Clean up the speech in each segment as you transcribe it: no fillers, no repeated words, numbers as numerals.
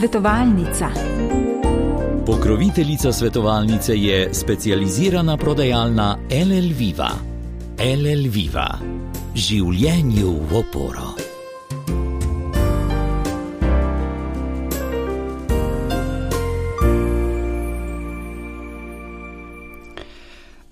svetovalnica. Pokroviteljica svetovalnice je specializirana prodajalna LL Viva. LL Viva. Življenju v oporo.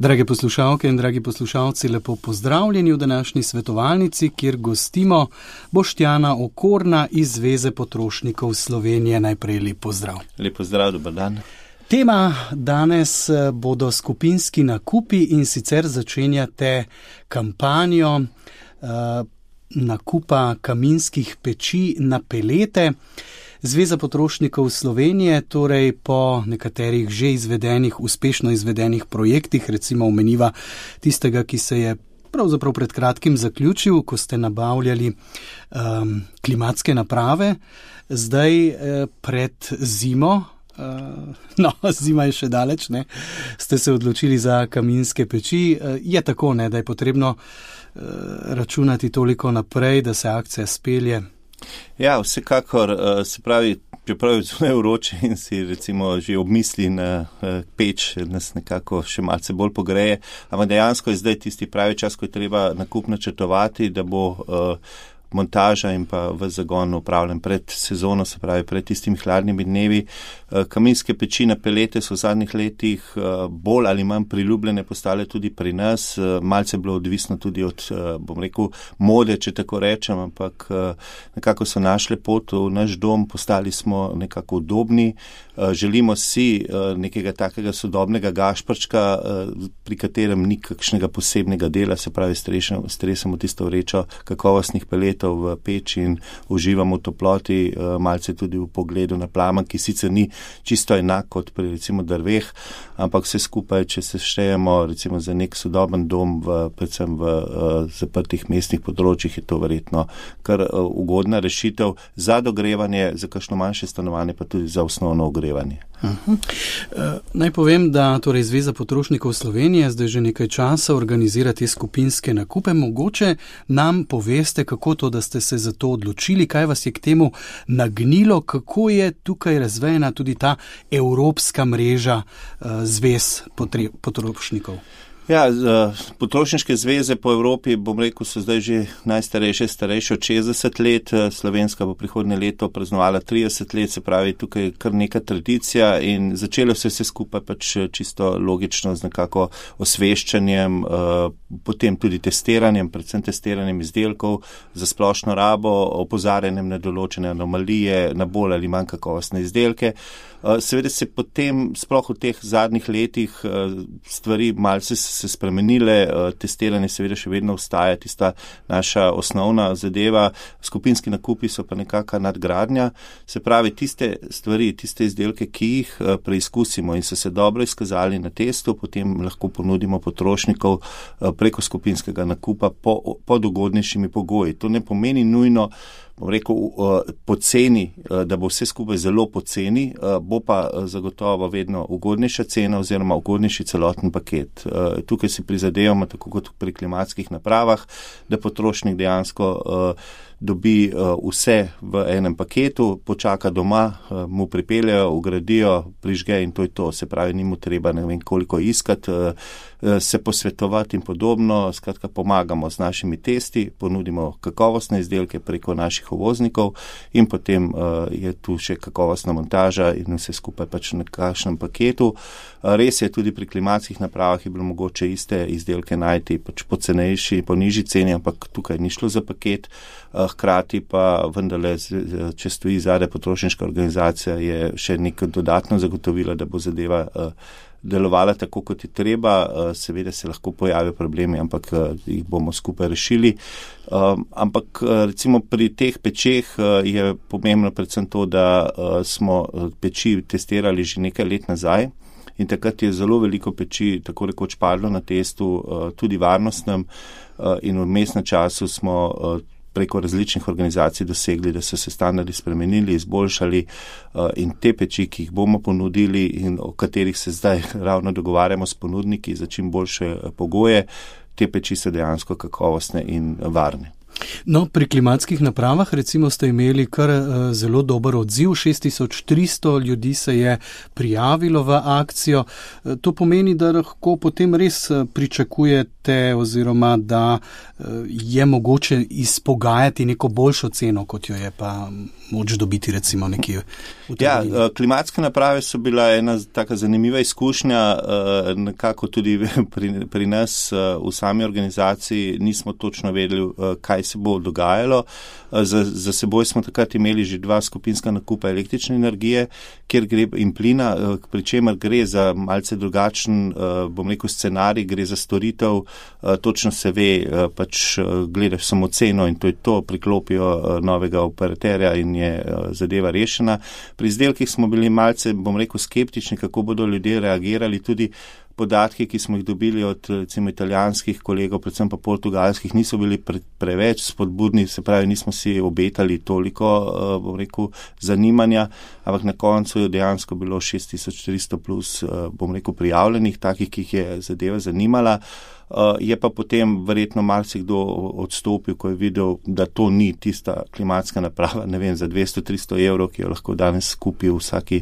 Drage poslušalke in dragi poslušalci, lepo pozdravljeni v današnji svetovalnici, kjer gostimo Boštjana Okorna iz Zveze potrošnikov Slovenije. Najprej lep pozdrav. Lep pozdrav, dober dan. Tema danes bodo skupinski nakupi in sicer začenjate kampanjo nakupa kaminskih peči na pelete. Zveza potrošnikov Slovenije, torej po nekaterih že izvedenih, uspešno izvedenih projektih, recimo omeniva tistega, ki se je pravzaprav pred kratkim zaključil, ko ste nabavljali klimatske naprave, zdaj pred zimo, zima je še daleč, ne, ste se odločili za kaminske peči. Je tako, ne, da je potrebno računati toliko naprej, da se akcija spelje? Ja, vsekakor, se pravi, čeprav je zelo vroče in si recimo že obmisli na peč, nas nekako še malce bolj pogreje, ampak dejansko je zdaj tisti pravi čas, ko je treba nakup načrtovati, da bo montaža in pa v zagon upravljen pred sezono, se pravi pred tistimi hladnimi dnevi. Kaminske peči na pelete so v zadnjih letih bolj ali manj priljubljene postale tudi pri nas. Malce je bilo odvisno tudi od, bom rekel, mode, če tako rečem, ampak nekako so našle pot v naš dom, postali smo nekako udobni. Želimo si nekega takega sodobnega gašprčka, pri katerem ni kakšnega posebnega dela, se pravi stresemo tisto vrečo kakovostnih peletov v peči in uživamo v toploti, malce tudi v pogledu na plamen, ki sicer ni čisto enak kot pri recimo drveh, ampak vse skupaj, če se štejemo recimo za nek sodoben dom, predvsem v zaprtih mestnih področjih, je to verjetno kar ugodna rešitev za dogrevanje, za kakšno manjše stanovanje, pa tudi za osnovno ogrevanje. Naj povem, da torej Zveza potrošnikov Slovenije zdaj že nekaj časa organizira te skupinske nakupe. Mogoče nam poveste, kako to, da ste se za to odločili, kaj vas je k temu nagnilo, kako je tukaj razvejena tudi ta evropska mreža zvez potrošnikov? Ja, potrošniške zveze po Evropi, bom rekel, so zdaj že starejše od 60 let, slovenska bo prihodnje leto praznovala 30 let, se pravi tukaj kar neka tradicija in začelo se vse skupaj pač čisto logično z nekako osveščanjem, potem tudi testiranjem, predvsem testiranjem izdelkov za splošno rabo, opozarjanjem na določene anomalije, na bolj ali manj kakovostne izdelke. Seveda se potem, sploh v teh zadnjih letih, stvari malce se spremenile, testiranje seveda še vedno ostaja tista naša osnovna zadeva, skupinski nakupi so pa nekaka nadgradnja, se pravi tiste stvari, tiste izdelke, ki jih preizkusimo in so se dobro izkazali na testu, potem lahko ponudimo potrošnikov preko skupinskega nakupa pod ugodnejšimi pogoji. To ne pomeni nujno, bom rekel, poceni, da bo vse skupaj zelo poceni, bo pa zagotovo vedno ugodnejša cena oziroma ugodnejši celoten paket. Tukaj si prizadevamo, tako kot pri klimatskih napravah, da potrošnik dejansko dobi vse v enem paketu, počaka doma, mu pripeljejo, ugradijo, prižge in to je to. Se pravi, ni mu treba ne vem koliko iskati, se posvetovati in podobno. Skratka, pomagamo z našimi testi, ponudimo kakovostne izdelke preko naših uvoznikov in potem je tu še kakovostna montaža in vse skupaj pač na kakšnem paketu. Res je, tudi pri klimatskih napravah je bilo mogoče iste izdelke najti pač po cenejši, po nižji ceni, ampak tukaj ni šlo za paket. Hkrati pa vendarle, če stoji zadaj potrošniška organizacija, je še neko dodatno zagotovila, da bo zadeva delovala tako, kot je treba. Seveda se lahko pojavijo problemi, ampak jih bomo skupaj rešili. Ampak recimo pri teh pečeh je pomembno predvsem to, da smo peči testirali že nekaj let nazaj. In takrat je zelo veliko peči tako rekoč padlo na testu, tudi varnostnem, in v vmesnem času smo preko različnih organizacij dosegli, da so se standardi spremenili, izboljšali in te peči, ki jih bomo ponudili in o katerih se zdaj ravno dogovarjamo s ponudniki za čim boljše pogoje, te peči so dejansko kakovostne in varne. No, pri klimatskih napravah recimo ste imeli kar zelo dober odziv, 6300 ljudi se je prijavilo v akcijo. To pomeni, da lahko potem res pričakujete oziroma da je mogoče izpogajati neko boljšo ceno, kot jo je pa moč dobiti recimo nekje v trgovini. Ja, klimatske naprave so bila ena taka zanimiva izkušnja, nekako tudi pri nas v sami organizaciji nismo točno vedeli, kaj se bo dogajalo. Za seboj smo takrat imeli že 2 skupinska nakupa električne energije, kjer gre in plina, pri čemer gre za malce drugačen, bom rekel, scenarij, gre za storitev, točno se ve, pač gledaš samo ceno in to je to, priklopijo novega operaterja in je zadeva rešena. Pri izdelkih smo bili malce, bom rekel, skeptični, kako bodo ljudje reagirali, tudi podatki, ki smo jih dobili od recimo italijanskih kolegov, predvsem pa portugalskih, niso bili preveč spodbudni, se pravi, nismo si obetali toliko, bom rekel, zanimanja, ampak na koncu je dejansko bilo 6300 plus, bom rekel, prijavljenih, takih, ki jih je zadeva zanimala. Je pa potem verjetno marsikdo odstopil, ko je videl, da to ni tista klimatska naprava, ne vem, za 200-300 evrov, ki jo lahko danes kupi v vsaki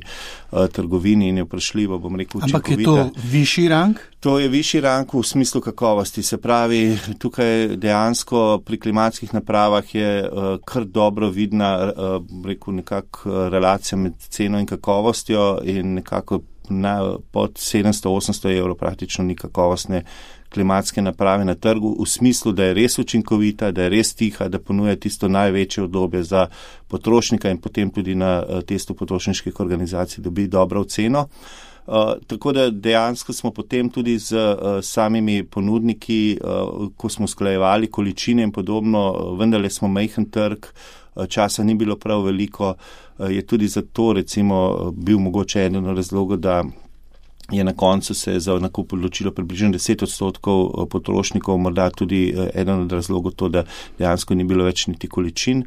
trgovini in je vprašljivo, bom rekel, učinkovita. Ampak je to višji rang? To je višji rang v smislu kakovosti. Se pravi, tukaj dejansko pri klimatskih napravah je kar dobro vidna, rekel, nekako relacija med ceno in kakovostjo in nekako pod 700-800 evrov praktično ni kakovostne klimatske naprave na trgu, v smislu, da je res učinkovita, da je res tiha, da ponuja tisto največje udobje za potrošnika in potem tudi na testu potrošniških organizacij dobi dobro oceno. Tako da dejansko smo potem tudi z samimi ponudniki, ko smo usklajevali količine in podobno, vendarle smo majhen trg, časa ni bilo prav veliko, je tudi zato recimo bil mogoče eden od razlogov, da je na koncu se za nakup odločilo približno 10% potrošnikov, morda tudi eden od razlogov to, da dejansko ni bilo več niti količin.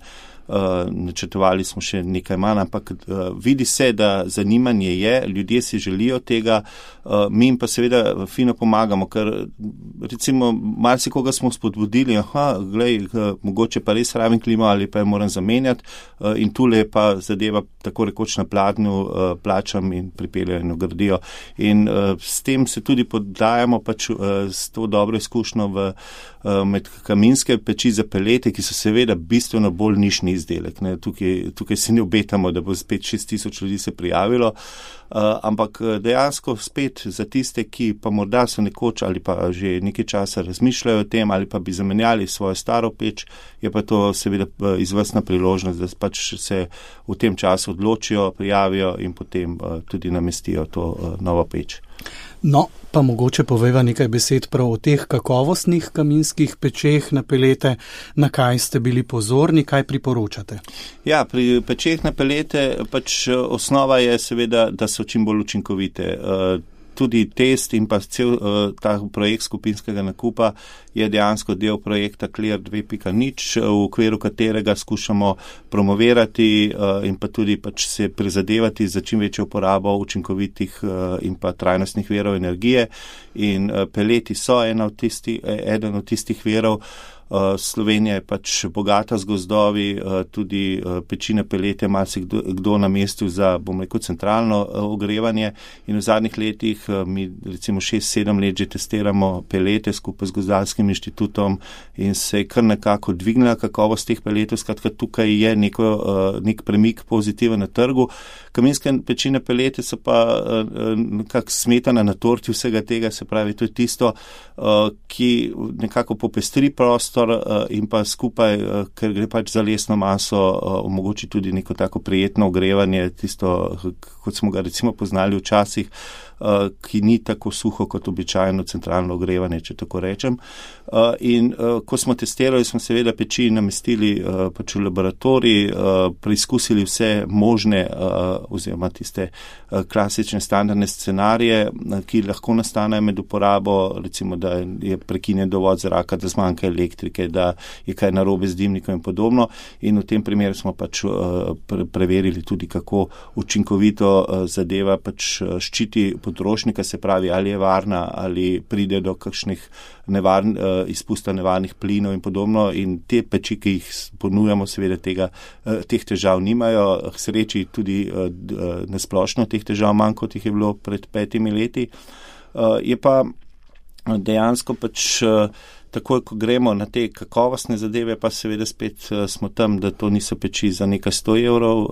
Načrtovali smo še nekaj manj, ampak vidi se, da zanimanje je, ljudje si želijo tega, mi jim pa seveda fino pomagamo, ker recimo marsikoga smo spodbudili, glej, mogoče pa res rabim klimo ali pa jo moram zamenjati in tule pa zadeva tako rekoč na pladnju, plačam in pripeljajo in ugradijo. In s tem se tudi podajamo pač s to dobro izkušnjo med kaminske peči za pelete, ki so seveda bistveno bolj nišni izdelek. Ne. Tukaj si ne obetamo, da bo spet 6000 ljudi se prijavilo, ampak dejansko spet za tiste, ki pa morda so nekoč ali pa že nekaj časa razmišljajo o tem ali pa bi zamenjali svojo staro peč, je pa to seveda izvrstna priložnost, da pač se v tem času odločijo, prijavijo in potem tudi namestijo to novo peč. No, pa mogoče poveva nekaj besed prav o teh kakovostnih kaminskih pečeh na pelete, na kaj ste bili pozorni, kaj priporočate? Ja, pri pečeh na pelete pač osnova je seveda, da so čim bolj učinkovite. Tudi test in pa cel ta projekt skupinskega nakupa je dejansko del projekta Clear 2.0, v okviru katerega skušamo promovirati in pa tudi pač se prizadevati za čim večjo uporabo učinkovitih in pa trajnostnih virov energije. In peleti so eden od tistih virov. Slovenija je pač bogata z gozdovi, tudi peči na pelete marsikdo namestil za, bom rekel, centralno ogrevanje in v zadnjih letih mi recimo 6-7 let že testiramo pelete skupaj z Gozdarskim inštitutom in se je kar nekako dvignila kakovost teh peletov, skratka tukaj je nek premik pozitiven na trgu. Kaminske peči na pelete so pa nekako smetana na torti vsega tega, se pravi, to je tisto, ki nekako popestri prostor in pa skupaj, ker gre pač za lesno maso, omogoči tudi neko tako prijetno ogrevanje, tisto, kot smo ga recimo poznali včasih, ki ni tako suho kot običajno centralno ogrevanje, če tako rečem. In ko smo testirali, smo seveda peči namestili pač v laboratorij, preizkusili vse možne oziroma tiste klasične standardne scenarije, ki lahko nastanejo med uporabo, recimo, da je prekinjen dovod zraka, da zmanjka elektrike, pomisleke, da je kaj narobe z dimnikom in podobno. In v tem primeru smo pač preverili tudi, kako učinkovito zadeva pač ščiti potrošnika, se pravi, ali je varna, ali pride do kakšnih izpusta nevarnih plinov in podobno. In te peči, ki jih ponujamo, seveda teh težav nimajo. K sreči tudi nasplošno teh težav manj, kot jih je bilo pred 5 leti. Je pa dejansko pač takoj, ko gremo na te kakovostne zadeve, pa seveda spet smo tam, da to niso peči za nekaj 100 evrov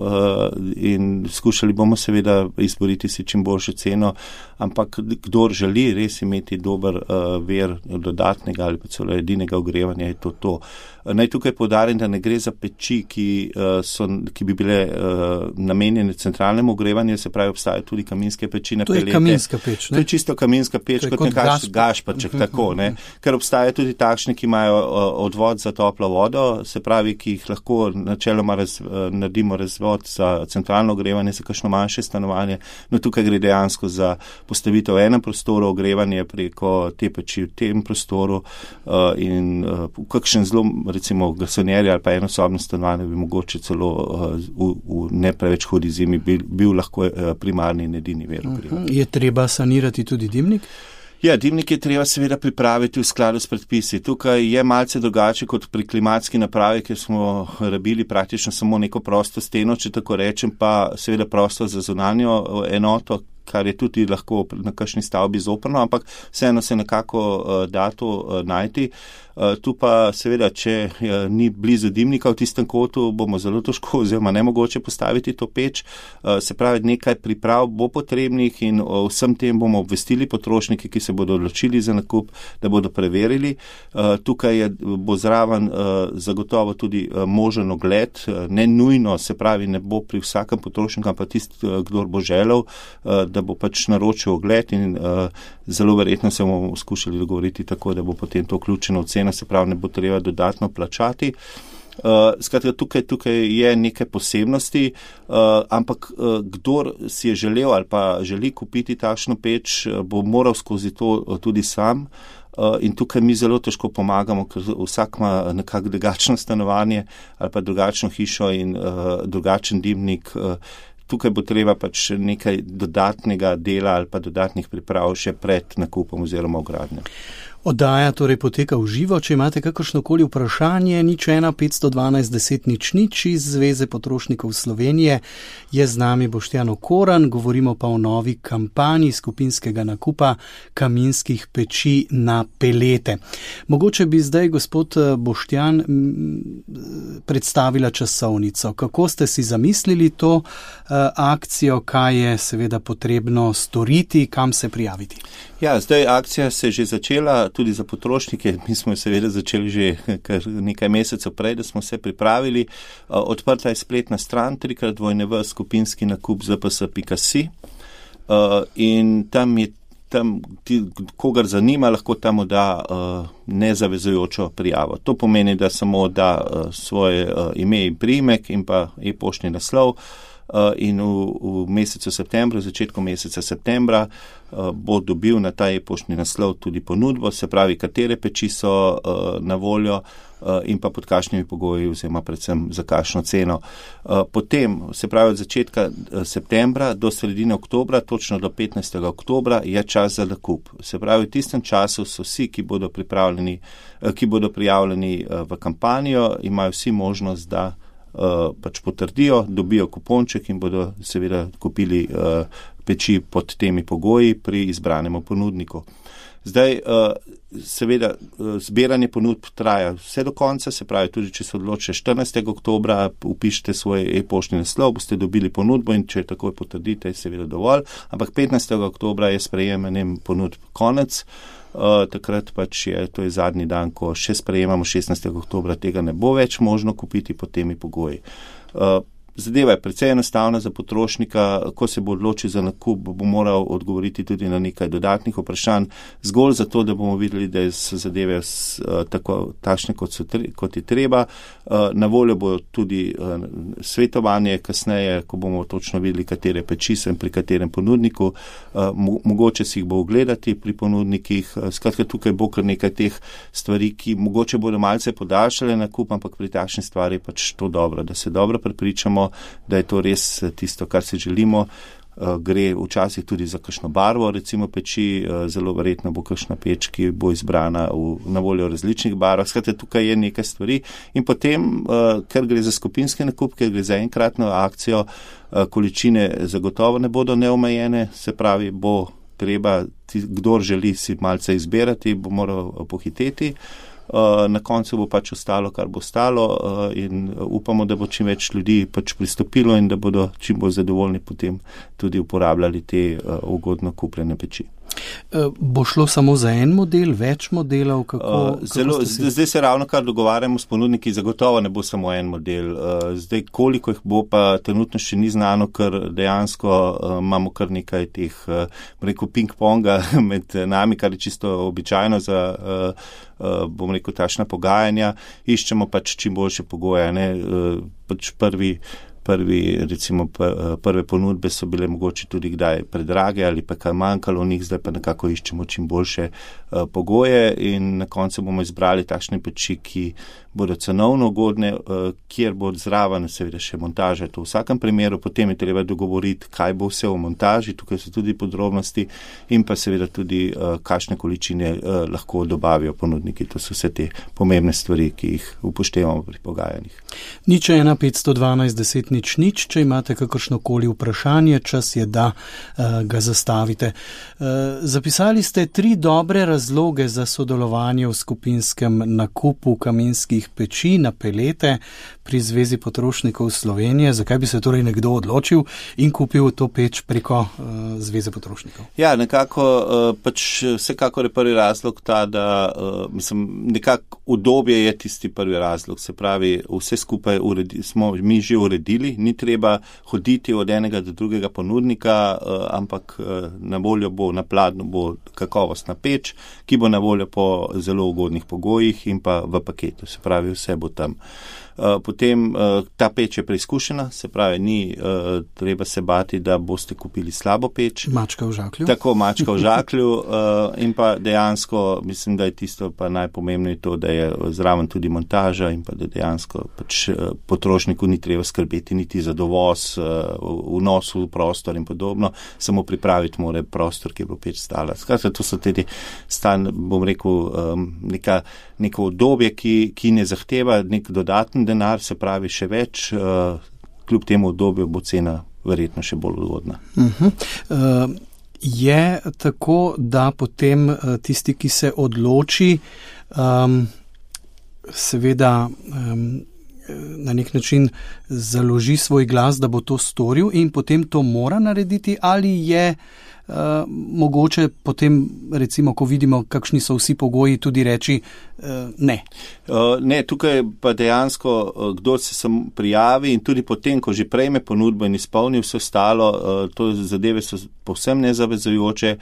in skušali bomo seveda izboriti si čim boljšo ceno, ampak kdor želi res imeti dober vir dodatnega ali pa celo edinega ogrevanja, je to. Naj tukaj poudarim, da ne gre za peči, ki bi bile namenjene centralnemu ogrevanju, se pravi, obstajajo tudi kaminske peči na pelete. To je kaminska peč, ne? To je čisto kaminska peč, kot nekakšen gašpaček, tako, ne? Ker obstajajo tudi takšne, ki imajo odvod za toplo vodo, se pravi, ki jih lahko načeloma naredimo razvod za centralno ogrevanje, za kakšno manjše stanovanje. No, tukaj gre dejansko za postavitev v enem prostoru, ogrevanje preko te peči v tem prostoru in kakšen zelo, recimo gasonjerje ali pa enosobno stanovanje bi mogoče celo v ne preveč hudi zimi bil lahko primarni in edini vir ogrevanja. Je treba sanirati tudi dimnik? Ja, dimnik je treba seveda pripraviti v skladu s predpisi. Tukaj je malce drugače kot pri klimatski napravi, ker smo rabili praktično samo neko prosto steno, če tako rečem, pa seveda prostor za zunanjo enoto, kar je tudi lahko na kakšni stavbi zoprno, ampak vseeno se nekako da to najti. Tu pa seveda, če ni blizu dimnika v tistem kotu, bomo zelo težko oziroma nemogoče postaviti to peč. Se pravi, nekaj priprav bo potrebnih in o vsem tem bomo obvestili potrošnike, ki se bodo odločili za nakup, da bodo preverili. Tukaj bo zraven zagotovo tudi možen ogled, ne nujno, se pravi, ne bo pri vsakem potrošniku, ampak tisti, kdor bo želel, da bo pač naročil ogled in zelo verjetno se bomo skušali dogovoriti tako, da bo potem to vključeno v ceno, se pravi, ne bo treba dodatno plačati. Skratka, tukaj je nekaj posebnosti, ampak kdor si je želel ali pa želi kupiti takšno peč, bo moral skozi to tudi sam. In tukaj mi zelo težko pomagamo, ker vsak ima nekako drugačno stanovanje ali pa drugačno hišo in drugačen dimnik. Tukaj bo treba pač nekaj dodatnega dela ali pa dodatnih priprav še pred nakupom oziroma vgradnjo. Oddaja torej poteka v živo. Če imate kakršnokoli vprašanje, 01 512 10 00 iz Zveze potrošnikov Slovenije, je z nami Boštjan Okoran, govorimo pa o novi kampanji skupinskega nakupa kaminskih peči na pelete. Mogoče bi zdaj, gospod Boštjan, predstavila časovnico. Kako ste si zamislili to akcijo, kaj je seveda potrebno storiti, kam se prijaviti? Ja, zdaj akcija se je že začela, tudi za potrošnike. Mi smo jo seveda začeli že nekaj mesecev prej, da smo se pripravili. Odprta je spletna stran skupinski nakup zps.si in tam kogar zanima, lahko tam da nezavezujočo prijavo. To pomeni, da samo da svoje ime in priimek in pa e-poštni naslov. In v mesecu septembru, v začetku meseca septembra bo dobil na ta e-poštni naslov tudi ponudbo, se pravi, katere peči so na voljo in pa pod kakšnimi pogoji oziroma predvsem za kakšno ceno. Potem, se pravi, od začetka septembra do sredine oktobra, točno do 15. oktobra je čas za nakup. Se pravi, v tistem času so vsi, ki bodo prijavljeni v kampanjo, imajo vsi možnost, da pač potrdijo, dobijo kuponček in bodo seveda kupili peči pod temi pogoji pri izbranemu ponudniku. Zdaj, seveda, zbiranje ponudb traja vse do konca, se pravi, tudi če se odločite 14. oktobra, upišite svoj e-poštni naslov, boste dobili ponudbo in če takoj potrdite, je seveda dovolj, ampak 15. oktobra je sprejemanjem ponudb konec. Takrat pač to je zadnji dan, ko še sprejemamo 16. oktobra, tega ne bo več možno kupiti pod temi pogoji. zadeva je precej enostavna za potrošnika, ko se bo odločil za nakup, bo moral odgovoriti tudi na nekaj dodatnih vprašanj, zgolj zato, da bomo videli, da so zadeve takšne, kot je treba. Na voljo bo tudi svetovanje kasneje, ko bomo točno videli, katere peči sem pri katerem ponudniku, mogoče si jih bo ogledati pri ponudnikih. Skratka, tukaj bo kar nekaj teh stvari, ki mogoče bodo malce podaljšale nakup, ampak pri takšni stvari je pač to dobro, da se dobro prepričamo, da je to res tisto, kar si želimo. Gre včasih tudi za kakšno barvo, recimo peči, zelo verjetno bo kakšna peč, ki bo izbrana na voljo v različnih barvah. Skratka, tukaj je nekaj stvari in potem, ker gre za skupinski nakup, ker gre za enkratno akcijo, količine zagotovo ne bodo neomejene, se pravi, bo treba, kdor želi si malce izbirati, bo moral pohiteti. Na koncu bo pač ostalo, kar bo ostalo in upamo, da bo čim več ljudi pač pristopilo in da bodo čim bolj zadovoljni potem tudi uporabljali te ugodno kupljene peči. Bo šlo samo za en model, več modelov? Zdaj se ravno kar dogovarjamo s ponudniki, zagotovo ne bo samo en model. Zdaj, koliko jih bo, pa trenutno še ni znano, ker dejansko imamo kar nekaj teh, rekel, ping-ponga med nami, kar je čisto običajno za, bom rekel, takšna pogajanja. Iščemo pač čim boljše pogoje, ne, pač prve ponudbe so bile mogoče tudi kdaj predrage ali pa kaj manjkalo v njih, zdaj pa nekako iščemo čim boljše pogoje in na koncu bomo izbrali takšne peči, ki bodo cenovno ugodne, kjer bo zraven seveda še montaža. To v vsakem primeru, potem je treba dogovoriti, kaj bo vse v montaži, tukaj so tudi podrobnosti in pa seveda tudi, kakšne količine lahko dobavijo ponudniki. To so vse te pomembne stvari, ki jih upoštevamo pri pogajanjih. 01 512 10 nič, če imate kakršnokoli vprašanje, čas je, da ga zastavite. Zapisali ste 3 dobre razloge za sodelovanje v skupinskem nakupu kaminskih peči na pelete pri Zvezi potrošnikov Slovenije. Zakaj bi se torej nekdo odločil in kupil to peč preko Zveze potrošnikov? Ja, nekako pač vsekakor je prvi razlog ta, da nekako udobje je tisti prvi razlog. Se pravi, vse skupaj smo mi že uredili, ni treba hoditi od enega do drugega ponudnika, ampak na voljo bo, na pladnju bo kakovostna peč, ki bo na voljo po zelo ugodnih pogojih in pa v paketu. Se pravi, vse bo tam. Potem ta peč je preizkušena, se pravi, ni treba se bati, da boste kupili slabo peč. Mačka v žaklju. Tako, mačka v žaklju in pa dejansko, mislim, da je tisto pa najpomembneje to, da je zraven tudi montaža in pa da dejansko pač potrošniku ni treba skrbeti niti za dovoz, vnos v prostor in podobno, samo pripraviti mora prostor, ki bo peč stala. Skratka, to so tudi bom rekel, neko obdobje, ki ne zahteva nek dodaten denar, se pravi še več, kljub temu obdobju bo cena verjetno še bolj ugodna. Je tako, da potem tisti, ki se odloči, seveda na nek način založi svoj glas, da bo to storil in potem to mora narediti, ali je mogoče potem, recimo, ko vidimo, kakšni so vsi pogoji, tudi reči ne. Ne, tukaj pa dejansko, kdo se sam prijavi in tudi potem, ko že prejme ponudbo in izpolni vse ostalo, to zadeve so povsem nezavezujoče,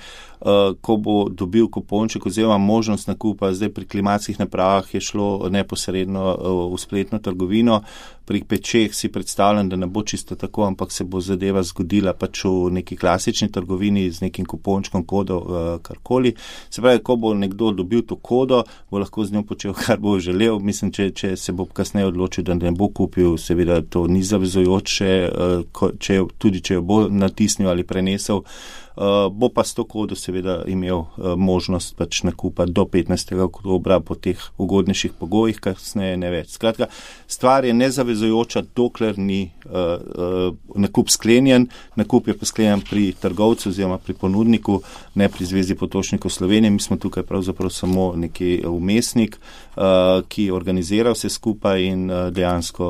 ko bo dobil kuponček oziroma možnost nakupa. Zdaj pri klimatskih napravah je šlo neposredno v spletno trgovino, pri pečeh si predstavljam, da ne bo čisto tako, ampak se bo zadeva zgodila pač v neki klasični trgovini z nekim kupončkom, kodo, karkoli. Se pravi, ko bo nekdo dobil to kodo, bo lahko z njo počel, kar bo želel. Mislim, če se bo kasneje odločil, da ne bo kupil, seveda to ni zavezujoče, tudi če jo bo natisnil ali prenesel, bo pa s to kodo seveda imel možnost pač nakupa do 15. oktobra po teh ugodnejših pogojih, kasneje ne več. Skratka, stvar je nezavezujoča, dokler ni nakup sklenjen. Nakup je pa sklenjen pri trgovcu oziroma pri ponudniku, ne pri Zvezi potrošnikov Slovenije. Mi smo tukaj pravzaprav samo neki vmesnik, ki organizira vse skupaj in dejansko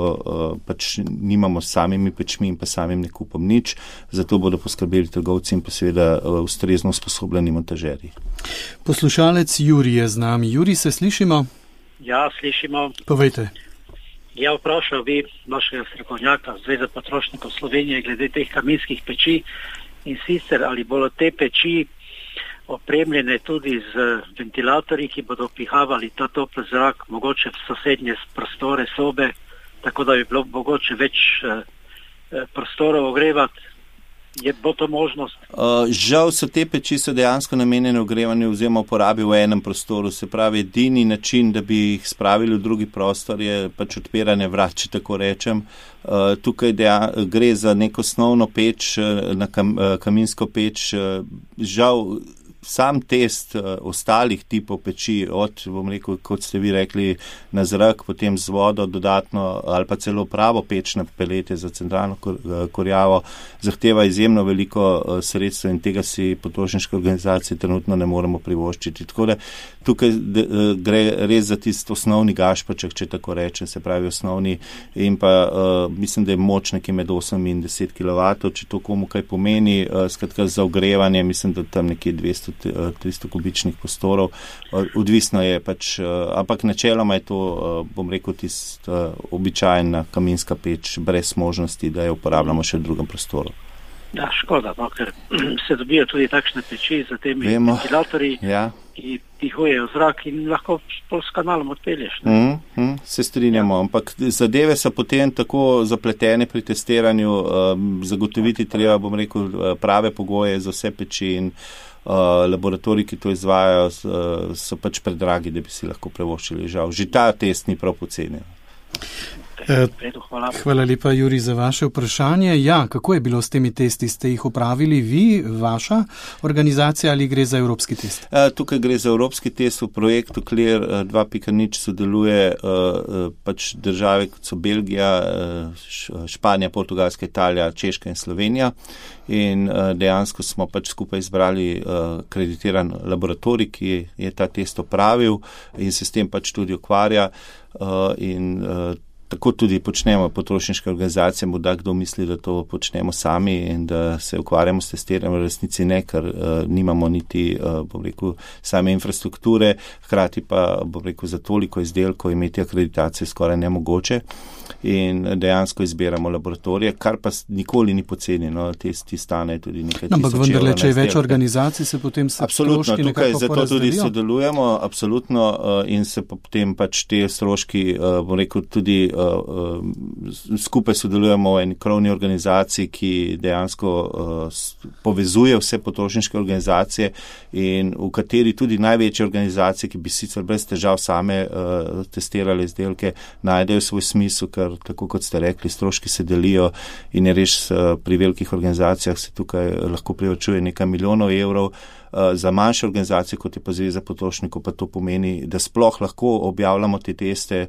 pač nimamo s samimi pečmi in pa samim nakupom nič. Zato bodo poskrbeli trgovci in pa seveda ustrezno usposobljeni montažerji. Poslušalec Jurij je z nami. Jurij, se slišimo? Ja, slišimo. Povejte. Ja, vprašal bi vašega strokovnjaka Zveze potrošnikov Slovenije glede teh kaminskih peči in sicer ali bodo te peči opremljene tudi z ventilatorji, ki bodo pihavali ta topli zrak, mogoče v sosednje prostore, sobe, tako da bi bilo mogoče več prostorov ogrevati. Bo to možnost? Žal so te peči dejansko namenjene ogrevanju oziroma uporabi v enem prostoru. Se pravi, edini način, da bi jih spravili v drugi prostor, je pač odpiranje vrat, če tako rečem. Tukaj gre za neko osnovno peč, na kaminsko peč. Žal sam test ostalih tipov peči, bom rekel, kot ste vi rekli, na zrak, potem z vodo dodatno ali pa celo pravo peč na pelete za centralno kurjavo, zahteva izjemno veliko sredstev in tega si potrošniške organizacije trenutno ne moremo privoščiti. Tako da tukaj gre res za tisti osnovni gašpaček, če tako rečem, se pravi osnovni, in pa mislim, da je moč nekje med 8 in 10 kW, če to komu kaj pomeni, skratka za ogrevanje, mislim, da tam nekje 200-300 kubičnih prostorov, odvisno je pač, ampak načeloma je to, bom rekel, tista običajna kaminska peč brez možnosti, da jo uporabljamo še v drugem prostoru. Ja, škoda, no, ker se dobijo tudi takšne peči za temi ventilatorji, ki pihujejo zrak in lahko s kanalom odpelješ. Se strinjamo, ampak zadeve so potem tako zapletene pri testiranju, zagotoviti treba, bom rekel, prave pogoje za vse peči in laboratoriji, ki to izvajajo, so pač predragi, da bi si lahko privoščili, žal. Že ta test ni prav poceni. Hvala lepa, Jurij, za vaše vprašanje. Ja, kako je bilo s temi testi? Ste jih upravili vi, vaša organizacija, ali gre za evropski test? Tukaj gre za evropski test. V projektu Clear 2.0 sodeluje pač države, kot so Belgija, Španija, Portugalska, Italija, Češka in Slovenija. In dejansko smo pač skupaj izbrali kreditiran laboratorij, ki je ta test opravil in se s tem pač tudi ukvarja in tako tudi počnemo potrošniške organizacije, morda kdo misli, da to počnemo sami in da se ukvarjamo s testiranjem, v resnici ne, ker nimamo niti, bom rekel, same infrastrukture, hkrati pa, bom rekel, za toliko izdelkov imeti akreditacijo skoraj nemogoče in dejansko izbiramo laboratorije, kar pa nikoli ni poceni, no, testi stanejo tudi nekaj tisoč evrov. Ampak vendarle, če je več organizacij, se potem se stroški nekako porazdelijo? Absolutno, tukaj zato tudi sodelujemo, absolutno, in se potem pač te stroški, bom rekel, tudi skupaj sodelujemo v eni krovni organizaciji, ki dejansko povezuje vse potrošniške organizacije in v kateri tudi največje organizacije, ki bi sicer brez težav same testirali izdelke, najdejo svoj smisel, ker tako kot ste rekli, stroški se delijo in je res pri velikih organizacijah se tukaj lahko privačuje nekaj milijonov evrov. Za manjše organizacije, kot je pa Zveza potrošnikov, pa to pomeni, da sploh lahko objavljamo te teste,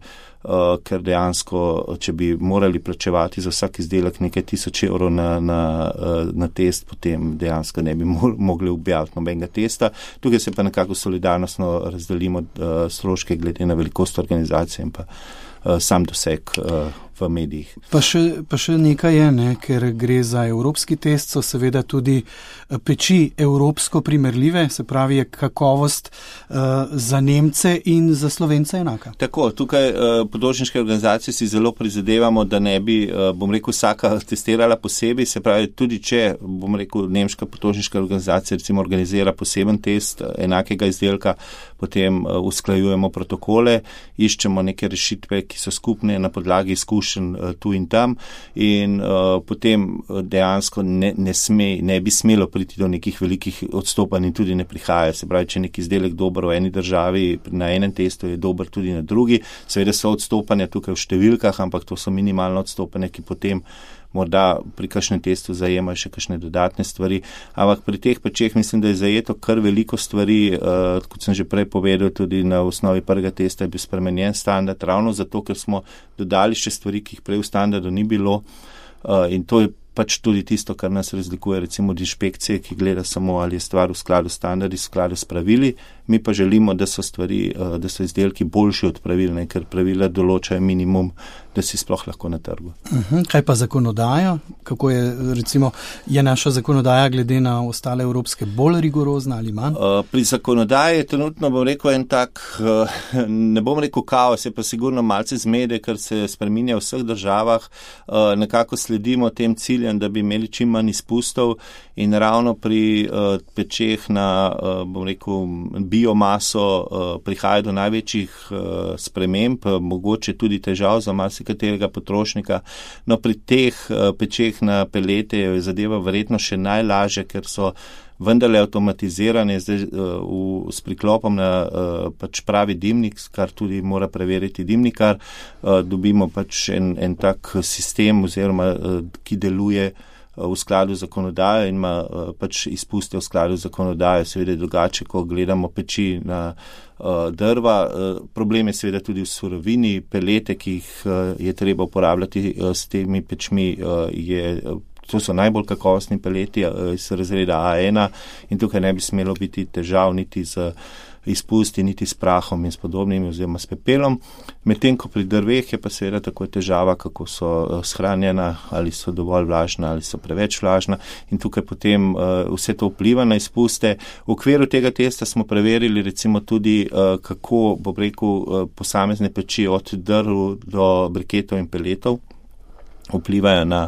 ker dejansko, če bi morali plačevati za vsak izdelek nekaj tisoč evrov na test, potem dejansko ne bi mogli objaviti nobenega testa. Tukaj se pa nekako solidarnostno razdelimo stroške glede na velikost organizacije in pa sam doseg v medijih. Pa še nekaj je, ne, ker gre za evropski test, so seveda tudi peči evropsko primerljive, se pravi je kakovost za Nemce in za Slovence enaka. Tako, tukaj potrošniške organizacije si zelo prizadevamo, da ne bi, bom rekel, vsaka testirala posebej, se pravi tudi če, bom rekel, nemška potrošniška organizacija recimo organizira poseben test enakega izdelka, potem usklajujemo protokole, iščemo neke rešitve, ki so skupne na podlagi izkušenj tu in tam in potem dejansko ne bi smelo priti do nekih velikih odstopanj in tudi ne prihaja. Se pravi, če nek izdelek dober v eni državi, na enem testu je dober tudi na drugi. Seveda so odstopanja tukaj v številkah, ampak to so minimalno odstopanja, ki potem morda pri kakšnem testu zajemajo še kakšne dodatne stvari. Ampak pri teh pečeh mislim, da je zajeto kar veliko stvari, kot sem že prej povedal, tudi na osnovi prvega testa je bil spremenjen standard, ravno zato, ker smo dodali še stvari, ki jih prej v standardu ni bilo in to je pač tudi tisto, kar nas razlikuje recimo od inšpekcije, ki gleda samo, ali je stvar v skladu s standardi, v skladu s pravili. mi pa želimo, da so izdelki boljši od pravil, ne, ker pravila določajo minimum, da si sploh lahko na trgu. Kaj pa zakonodaja? Kako je, recimo, je naša zakonodaja glede na ostale evropske bolj rigorozna ali manj? Pri zakonodaji je trenutno, bom rekel, en tak, ne bom rekel kaos, je pa sigurno malce zmede, ker se spreminja v vseh državah. Nekako sledimo tem ciljem, da bi imeli čim manj izpustov in ravno pri pečeh na, bom rekel, biomaso prihaja do največjih sprememb, mogoče tudi težav za katerega potrošnika. No, pri teh pečeh na pelete je zadeva verjetno še najlažje, ker so vendarle avtomatizirane zdaj s priklopom na pač pravi dimnik, kar tudi mora preveriti dimnikar. Dobimo pač en tak sistem, oziroma ki deluje v skladu z zakonodajo in ima pač izpuste v skladu z zakonodajo. Seveda je drugače, ko gledamo peči na drva. Problem je seveda tudi v surovini. Pelete, ki jih je treba uporabljati s temi pečmi, to so najbolj kakovostni peleti iz razreda A1 in tukaj ne bi smelo biti težav niti z izpusti, niti s prahom in s podobnimi oziroma s pepelom. Medtem ko pri drveh je pa seveda tako težava, kako so shranjena, ali so dovolj vlažna, ali so preveč vlažna in tukaj potem vse to vpliva na izpuste. V okviru tega testa smo preverili recimo tudi, kako, bom rekel, posamezne peči od drv do briketov in peletov vplivajo na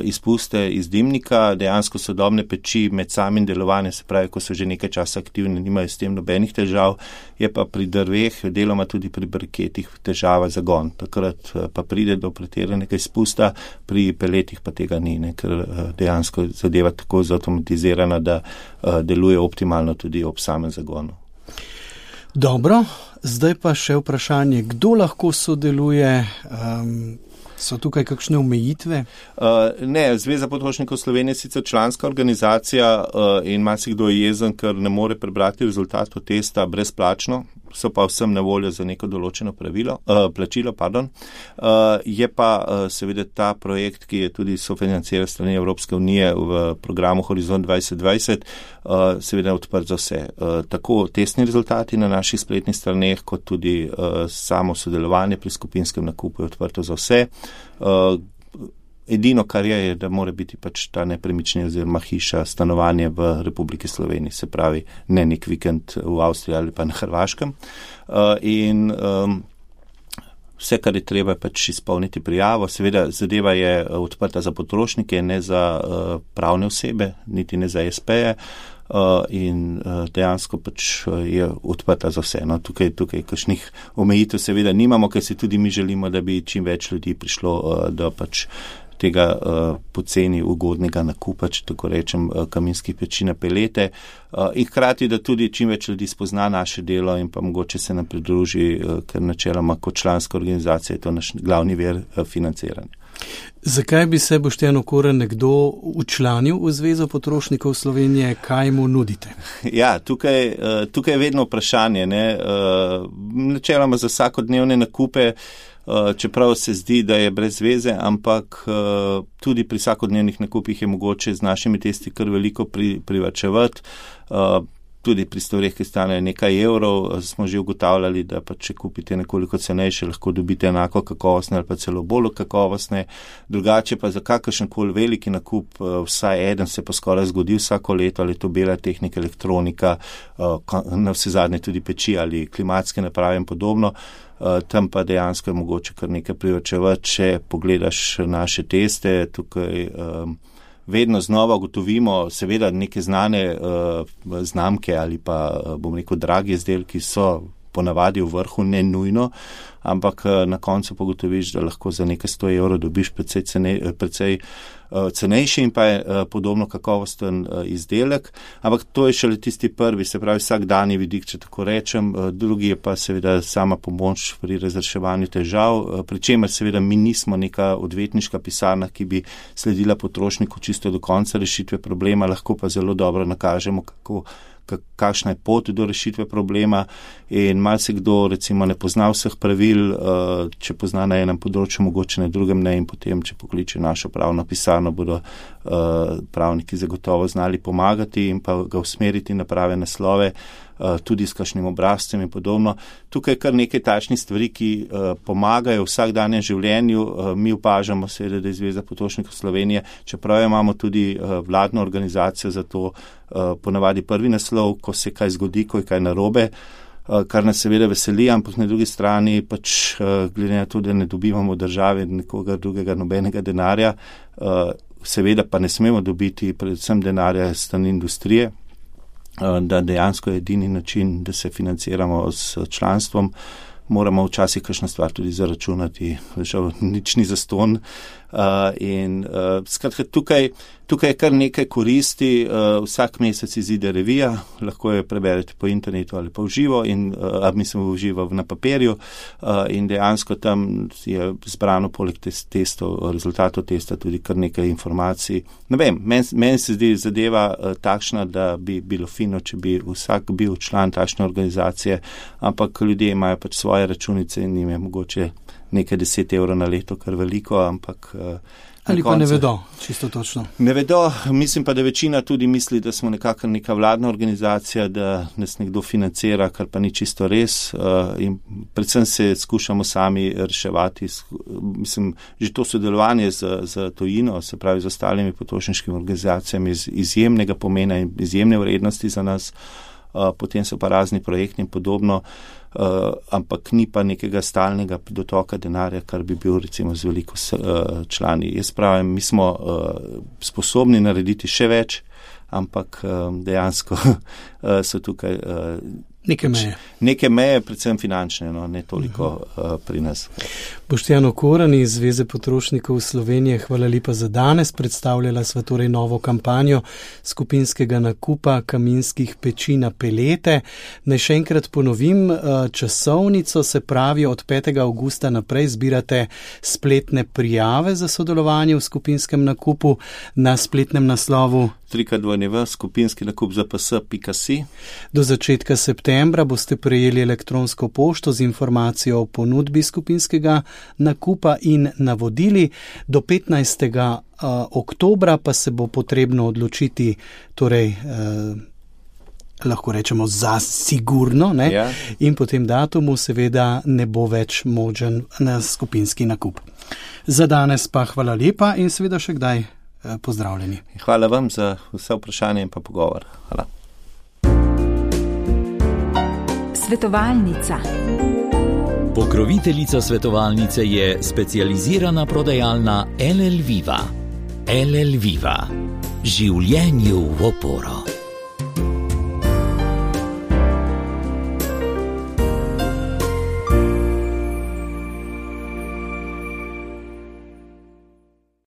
izpuste iz dimnika. Dejansko sodobne peči med samim delovanjem, se pravi, ko so že nekaj časa aktivne, nimajo s tem nobenih težav, je pa pri drveh, deloma tudi pri briketih težava zagon. Takrat pa pride do pretiranega izpusta, pri peletih pa tega ni, ne, ker dejansko zadeva tako zautomatizirana, da deluje optimalno tudi ob samem zagonu. Dobro, zdaj pa še vprašanje, kdo lahko sodeluje? So tukaj kakšne omejitve? Ne, Zveza potrošnikov Slovenije je sicer članska organizacija in marsikdo je jezen, ker ne more prebrati rezultatov testa brezplačno, so pa vsem na voljo za neko določeno plačilo. Je pa seveda ta projekt, ki je tudi sofinanciran strani Evropske unije v programu Horizont 2020, seveda odprt za vse. Tako testni rezultati na naših spletnih straneh, kot tudi samo sodelovanje pri skupinskem nakupu je odprto za vse. Edino, kar je, da mora biti pač ta nepremičnina oziroma hiša, stanovanje v Republiki Sloveniji, se pravi ne nek vikend v Avstriji ali pa na Hrvaškem. In vse, kar je treba, pač izpolniti prijavo. Seveda zadeva je odprta za potrošnike, ne za pravne osebe, niti ne za SP-je. In dejansko pač je odprta za vse. No, tukaj kakšnih omejitev seveda nimamo, ker si tudi mi želimo, da bi čim več ljudi prišlo do pač tega poceni ugodnega nakupa, če tako rečem, kaminskih peči na pelete. In hkrati, da tudi čim več ljudi spozna naše delo in pa mogoče se nam pridruži, ker načeloma kot članska organizacija je to naš glavni vir financiranja. Zakaj bi se, Boštjan Okorn, nekdo včlanil v Zvezo potrošnikov Slovenije, kaj mu nudite? Ja, tukaj je vedno vprašanje, ne? Načeloma za vsakodnevne nakupe, čeprav se zdi, da je brez zveze, ampak tudi pri vsakodnevnih nakupih je mogoče z našimi testi kar veliko privarčevati. Tudi pri stvareh, ki stanejo nekaj evrov, smo že ugotavljali, da pa če kupite nekoliko cenejše, lahko dobite enako kakovostne ali pa celo bolj kakovostne. Drugače pa za kakršenkoli veliki nakup, vsaj eden se pa skoraj zgodi vsako leto, ali to bela tehnika, elektronika, na vse zadnje tudi peči ali klimatske naprave in podobno. Tam pa dejansko je mogoče kar nekaj privarčevati, če pogledaš naše teste, tukaj vedno znova ugotovimo, seveda neke znane znamke ali pa, bom rekel, dragi izdelki so ponavadi v vrhu, ne nujno, ampak na koncu pogotoviš, da lahko za nekaj 100 evrov dobiš precej cenejši in pa je podobno kakovosten izdelek, ampak to je šele tisti prvi, se pravi vsakdanji vidik, če tako rečem. Drugi je pa seveda sama pomoč pri razreševanju težav, pri čemer seveda mi nismo neka odvetniška pisarna, ki bi sledila potrošniku čisto do konca rešitve problema, lahko pa zelo dobro nakažemo, kakšna je pot do rešitve problema in marsikdo recimo ne pozna vseh pravil, če pozna na enem področju, mogoče na drugem ne in potem, če pokliče našo pravno pisarno, bodo pravniki zagotovo znali pomagati in pa ga usmeriti na prave naslove, tudi s kakšnim obrazcem in podobno. Tukaj je kar nekaj takšnih stvari, ki pomagajo v vsakdanjem življenju. Mi opažamo seveda, da je Zveza potrošnikov Slovenije, čeprav imamo tudi vladno organizacijo za to, ponavadi prvi naslov, ko se kaj zgodi, ko je kaj narobe, kar nas seveda veseli, ampak na drugi strani pač glede na to, da ne dobivamo od države nekoga drugega nobenega denarja, seveda pa ne smemo dobiti predvsem denarja strani industrije, da dejansko je edini način, da se financiramo s članstvom, moramo včasih kakšna stvar tudi zaračunati, žal nič ni zastonj. Skratka, tukaj je kar nekaj koristi, vsak mesec izide revija, lahko jo preberete po internetu ali pa v živo, mislim v živo na papirju, in dejansko tam je zbrano poleg testov, rezultatov testa tudi kar nekaj informacij. Ne vem, meni se zdi zadeva takšna, da bi bilo fino, če bi vsak bil član takšne organizacije, ampak ljudje imajo pač svoje računice in njim je mogoče nekaj 10 evrov na leto, kar veliko, ampak ali pa ne vedo, čisto točno. Ne vedo, mislim pa, da večina tudi misli, da smo nekako neka vladna organizacija, da nas nekdo financira, kar pa ni čisto res, in predvsem se skušamo sami reševati. Mislim, že to sodelovanje z tujino, se pravi z ostalimi potrošniškimi organizacijami, izjemnega pomena in izjemne vrednosti za nas, potem so pa razni projekti in podobno, ampak ni pa nekega stalnega dotoka denarja, kar bi bil recimo z veliko člani. Jaz pravim, mi smo sposobni narediti še več, ampak dejansko so tukaj neke meje, predvsem finančne, ne toliko pri nas. Boštjan Okorn iz Zveze potrošnikov Slovenije, hvala lepa za danes. Predstavljala sva torej novo kampanjo skupinskega nakupa kaminskih peči na pelete. Naj še enkrat ponovim časovnico, se pravi od 5. avgusta naprej zbirate spletne prijave za sodelovanje v skupinskem nakupu na spletnem naslovu www.skupinskinakup.zps.si. Do začetka septembra boste prejeli elektronsko pošto z informacijo o ponudbi skupinskega nakupa in navodili. Do 15. oktobra pa se bo potrebno odločiti, torej lahko rečemo za sigurno, ne? Ja. In po tem datumu seveda ne bo več možen na skupinski nakup. Za danes pa hvala lepa in seveda še kdaj pozdravljeni. Hvala vam za vse vprašanje in pa pogovor. Hvala. Svetovalnica. Pokroviteljica svetovalnice je specializirana prodajalna LL Viva. LL Viva. Življenju v oporo.